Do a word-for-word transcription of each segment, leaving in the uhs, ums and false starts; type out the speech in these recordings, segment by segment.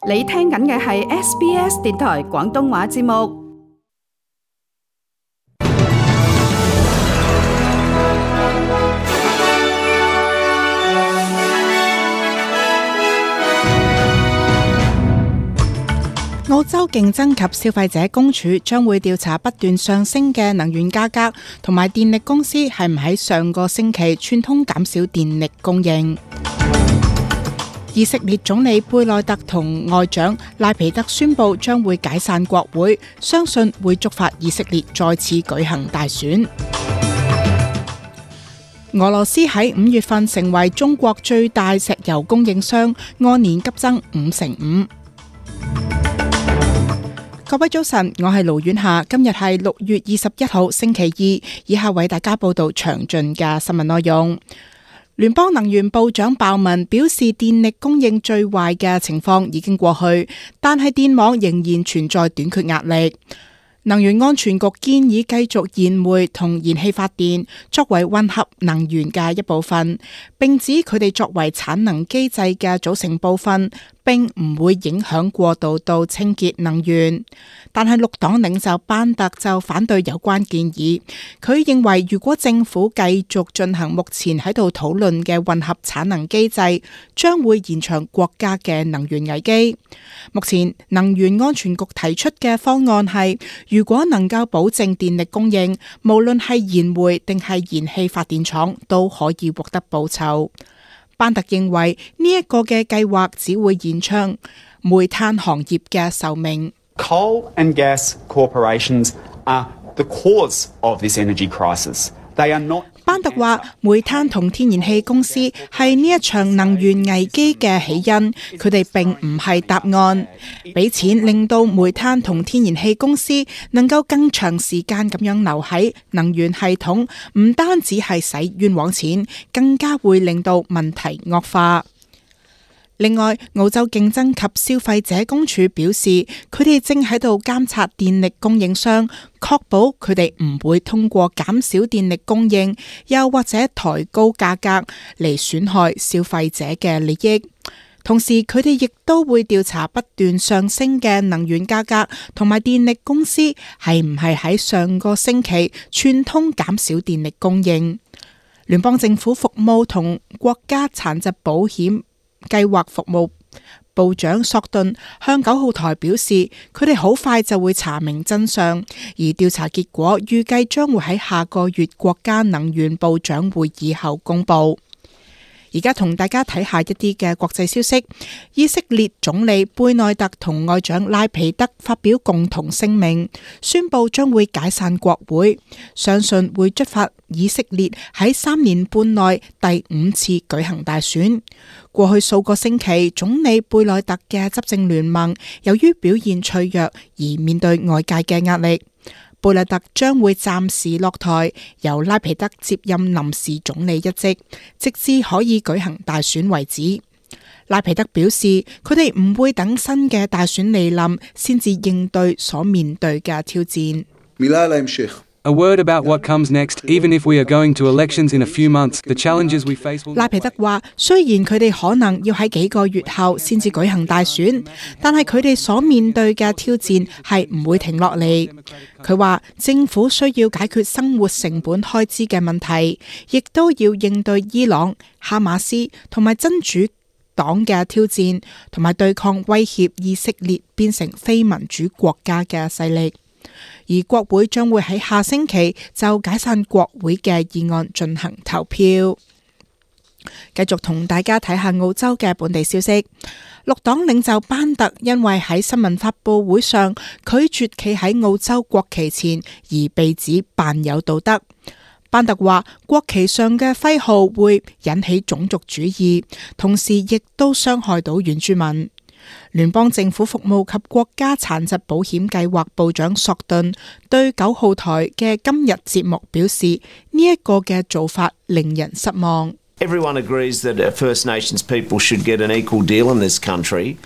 你聽緊嘅係 S B S 電台廣東話節目。澳洲競爭及消費者公署將會調查不斷上升嘅能源價格，同埋電力公司係唔喺上個星期串通減少電力供應。以色列總理貝內特同外長拉皮德宣布將會解散國會，相信會觸發以色列再次舉行大選。俄羅斯喺五月份成為中國最大石油供應商，按年急增五成五。各位早晨，我係盧婉霞，今日係六月二十一號星期二，以下為大家報道詳盡嘅新聞內容。聯邦能源部長鮑文表示，電力供應最壞嘅情況已經過去，但係電網仍然存在短缺壓力。能源安全局建議繼續燃煤同燃氣發電作為混合能源嘅一部分，並指佢哋作為產能機制嘅組成部分，並唔會影響過渡到清潔能源。但係綠黨領袖班特就反對有關建議，佢認為如果政府繼續進行目前喺度討論嘅混合產能機制，將會延長國家嘅能源危機。目前能源安全局提出嘅方案係，如果能夠保證電力供應，無論係燃煤定係燃氣發電廠都可以獲得報酬。班特認為呢一個嘅計劃只會延長煤炭行業嘅壽命。Coal and gas corporations are the cause of this energy crisis. They are not. 班特話，煤炭同天然氣公司係呢一場能源危機嘅起因，佢哋並唔係答案。俾錢令到煤炭同天然氣公司能夠更長時間咁樣留喺能源系統，唔單止係使冤枉錢，更加會令到問題惡化。另外，澳洲競爭及消費者公署表示，佢哋正喺度監察電力供應商，確保佢哋唔會通過減少電力供應，又或者抬高價格嚟損害消費者嘅利益。同時，佢哋亦都會調查不斷上升嘅能源價格，同埋電力公司係唔係喺上個星期串通減少電力供應。聯邦政府服務同國家殘疾保險計劃服務部長索頓向九號台表示，佢哋好快就會查明真相，而調查結果預計將會喺下個月國家能源部長會議後公布。而家同大家睇下一啲嘅國際消息。以色列總理貝內特同外長拉皮德發表共同聲明，宣布將會解散國會，相信會觸發以色列喺三年半內第五次舉行大選。過去數個星期，總理貝內特嘅執政聯盟由於表現脆弱而面對外界嘅壓力。貝內特將會暫時落台，由拉皮德接任臨時總理一職，直至可以舉行大選為止。拉皮德表示，佢哋唔會等新嘅大選嚟臨先至應對所面對嘅挑戰。A word about what comes next. Even if we are going to elections in a few months, the challenges we face will... 拉皮德話，雖然佢哋可能要喺幾個月後先至舉行大選，但係佢哋所面對嘅挑戰係唔會停落嚟。佢話政府需要解決生活成本開支嘅問題，亦都要應對伊朗、哈馬斯同埋真主黨嘅挑戰，同埋對抗威脅以色列變成非民主國家嘅勢力。而國會將會喺下星期就解散國會嘅議案進行投票。繼續同大家睇下澳洲嘅本地消息。綠黨領袖班特因為喺新聞發佈會上拒絕企喺澳洲國旗前而被指扮有道德。班特話國旗上嘅徽號會引起種族主義，同時亦都傷害到原住民。聯邦政府服務及國家殘疾保險計劃部長索頓對九號台嘅今日節目表示，呢一個嘅做法令人失望。Everyone agrees that First Nations people should get an equal deal in this country.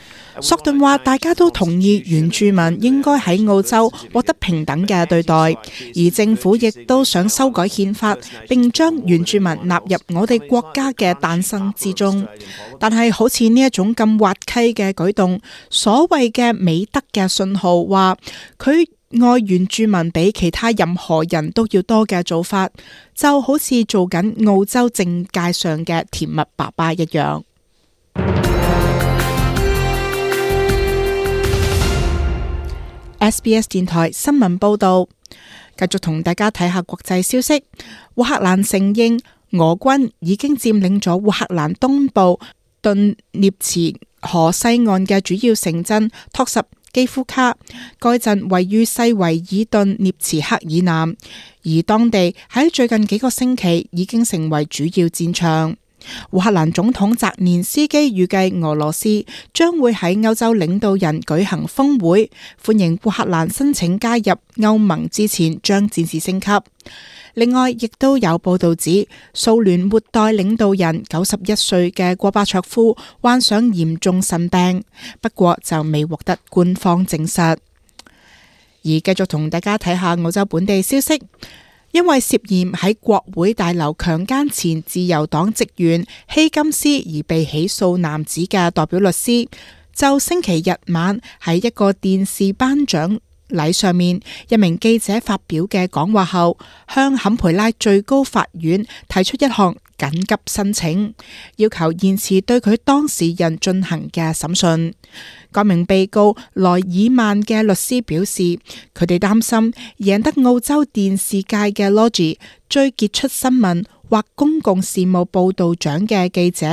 索頓話大家都同意原住民應該喺澳洲獲得平等嘅對待，而政府亦都想修改憲法，並將原住民納入我哋國家嘅誕生之中。但係好似呢一種咁滑稽嘅舉動，所謂嘅美德嘅信號話佢愛原住民比其他任何人都要多嘅做法，就好似做緊澳洲政界上嘅甜蜜爸爸一樣。S B S 電台新聞報道，繼續同大家睇下國際消息。烏克蘭承認俄軍已經佔領咗烏克蘭東部頓涅茨河西岸嘅主要城鎮托什基夫卡，該鎮位於西維爾頓涅茨克以南，而當地喺最近幾個星期已經成為主要戰場。烏克蘭總統澤連斯基預計俄羅斯將會喺歐洲領導人舉行峰會，歡迎烏克蘭申請加入歐盟之前將戰事升級。另外，亦都有報道指蘇聯末代領導人九十一歲嘅戈巴卓夫患上嚴重腎病，不過就未獲得官方證實。而繼續同大家睇下澳洲本地消息。因為涉嫌喺國會大樓強姦前自由黨職員希金斯而被起訴男子嘅代表律師，就星期日晚喺一個電視頒獎禮上面，一名記者發表嘅講話後，向坎培拉最高法院提出一項緊急申請，要求延遲對佢當事人進行嘅審訊。該名被告萊爾曼嘅律師表示，佢哋擔心贏得澳洲電視界嘅 Logie 最傑出新聞或公共事務報導獎嘅記者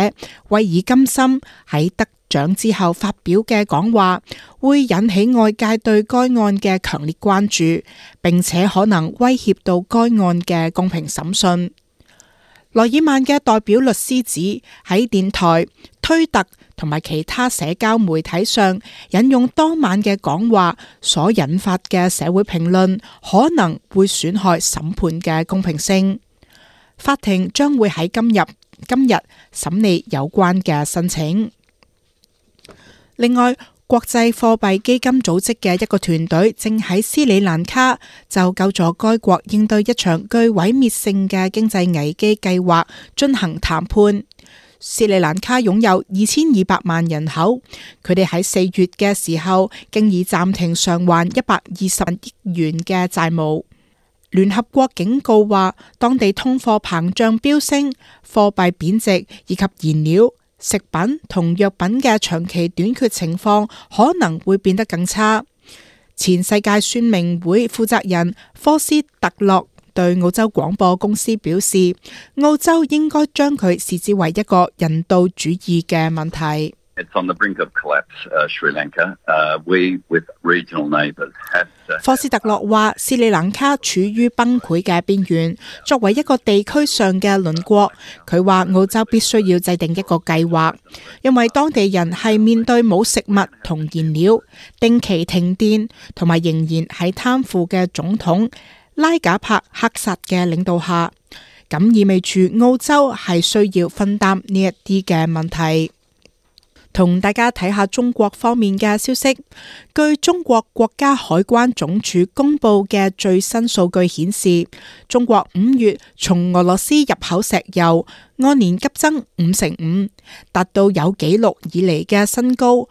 威爾金森喺得獎之後發表嘅講話，會引起外界對該案嘅強烈關注，並且可能威脅到該案嘅公平審訊。萊爾曼嘅代表律師指，喺電台、推特同埋其他社交媒體上引用當晚嘅講話所引發嘅社會評論，可能會損害審判嘅公平性。法庭將會喺今日今日審理有關嘅申請。另外，國際貨幣基金組織嘅一個團隊正喺斯里蘭卡就救助該國應對一場具毀滅性嘅經濟危機計劃進行談判。斯里蘭卡擁有二千二百萬人口，佢哋喺四月嘅時候經已暫停償還一百二十億元嘅債務。聯合國警告話，當地通貨膨脹飆升、貨幣貶值以及燃料、食品同藥品嘅長期短缺情況可能會變得更差。前世界宣明會負責人科斯特洛對澳洲廣播公司表示，澳洲應該將佢視之為一個人道主義嘅問題。科斯特洛話，斯里蘭卡處於崩潰嘅邊緣，作為一個地區上嘅鄰國，佢話澳洲必須要制定一個計劃，因為當地人係面對冇食物同燃料、定期停電，同埋仍然喺貪腐嘅總統拉賈帕克薩嘅領導下，咁意味住澳洲係需要分擔呢一啲嘅問題。同大家睇下中國方面嘅消息。據中國國家海關總署公布嘅最新數據顯示，中國五月從俄羅斯入口石油按年急增五成五，達到有紀錄以嚟嘅新高，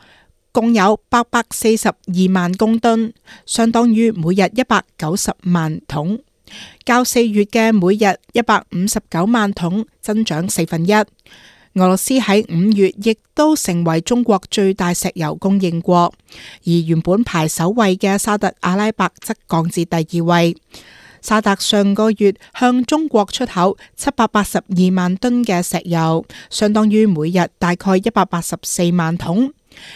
共有八百四十二萬公噸，相當於每日一百九十萬桶，較四月嘅每日一百五十九萬桶增長四分一。俄羅斯喺五月亦都成為中國最大石油供應國，而原本排首位嘅沙特阿拉伯則降至第二位。沙特上個月向中國出口七百八十二萬噸嘅石油，相當於每日大概一百八十四萬桶。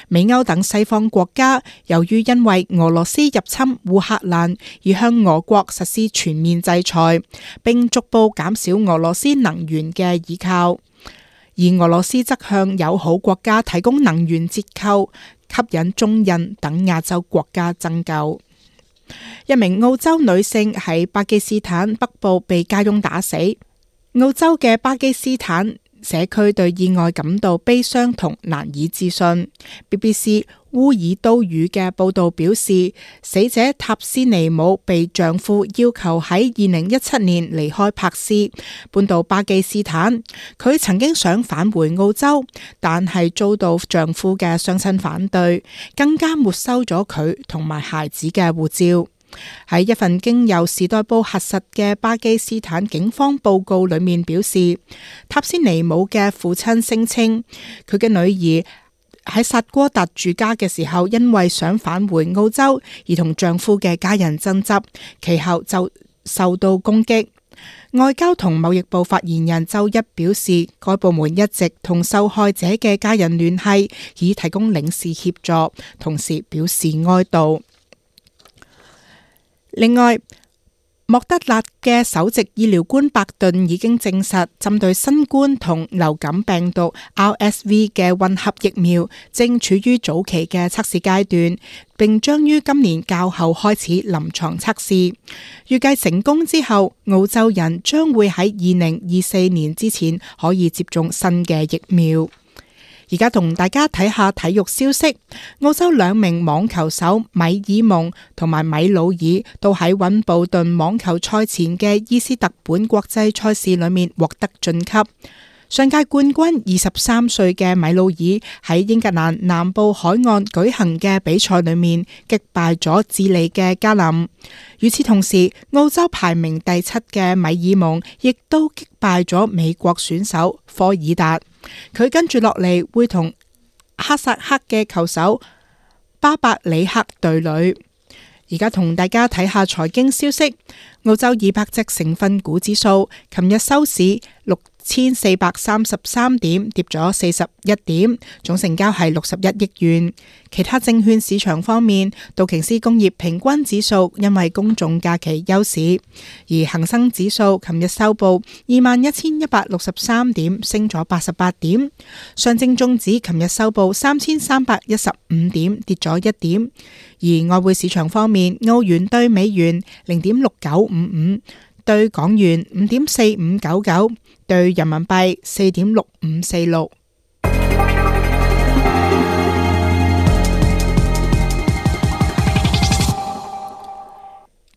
美歐等西方國家由於因為俄羅斯入侵烏克蘭而向俄國實施全面制裁，並逐步減少俄羅斯能源嘅依靠。而俄羅斯則向友好國家提供能源折扣，吸引中印等亞洲國家增購。一名澳洲女性喺巴基斯坦北部被家傭打死。澳洲嘅巴基斯坦社區對意外感到悲傷同難以置信。B B C 烏爾都語嘅報導表示，死者塔斯尼姆被丈夫要求喺二零一七年離開柏斯，搬到巴基斯坦。佢曾經想返回澳洲，但係遭到丈夫嘅雙親反對，更加沒收咗佢同埋孩子嘅護照。喺一份經由時代報核實嘅巴基斯坦警方報告裏面表示，塔斯尼姆嘅父親聲稱佢嘅女兒喺薩哥達住家嘅時候，因為想返回澳洲而同丈夫嘅家人爭執，其後就受到攻擊。外交同貿易部發言人周一表示，該部門一直同受害者嘅家人聯繫，以提供領事協助，同時表示哀悼。另外，莫德納嘅首席醫療官伯頓已經證實，針對新冠同流感病毒 R S V 嘅混合疫苗正處於早期嘅測試階段，並將於今年較後開始臨床測試。預計成功之後，澳洲人將會喺二零二四年之前可以接種新嘅疫苗。而家同大家睇下體育消息，澳洲兩名網球手米爾蒙同埋米魯爾都喺溫布頓網球賽前嘅伊斯特本國際賽事裏面獲得晉級。上屆冠軍二十三歲嘅米魯爾喺英格蘭南部海岸舉行嘅比賽裏面擊敗咗智利嘅加林。與此同時，澳洲排名第七嘅米爾蒙亦都擊敗咗美國選手科爾達。佢跟住落嚟會同哈薩克嘅球手巴伯里克對壘。而家同大家睇下財經消息，澳洲二百隻成分股指數琴日收市六千四百三十三點，跌咗四十一點，總成交係六十一億元。其他證券市場方面，道瓊斯工業平均指數因為公眾假期休市，而恒生指數琴日收報二萬一千一百六十三點，升咗八十八點。上證綜指琴日收報三千三百一十五點，跌咗一點。而外匯市場方面，澳元兌美元零點六九五五，兌港元五點四五九九，兌人民幣四點六五四六。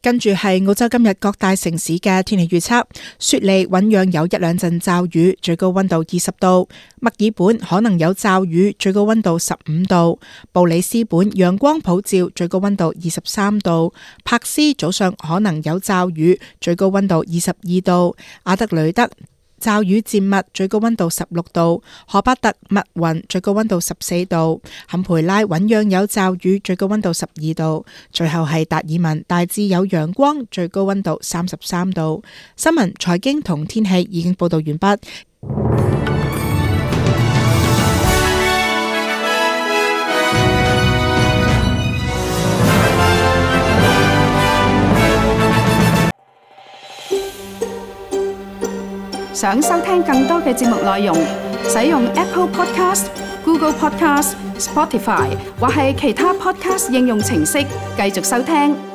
跟住係澳洲今日各大城市嘅天氣預測：雪梨醞釀有一兩陣驟雨，最高溫度二十度；墨爾本可能有驟雨，最高溫度十五度；布里斯本陽光普照，最高溫度二十三度；柏斯早上可能有驟雨，最高溫度二十二度；阿德雷德驟雨漸密，最高溫度十六度；荷巴特密雲，最高溫度十四度；坎培拉醞釀有驟雨，最高溫度十二度；最後係達爾文大致有陽光，最高溫度三十三度。新聞、財經同天氣已經報道完畢。想收聽更多嘅節目內容，使用 Apple Podcast、Google Podcast、Spotify 或係其他 Podcast 應用程式繼續收聽。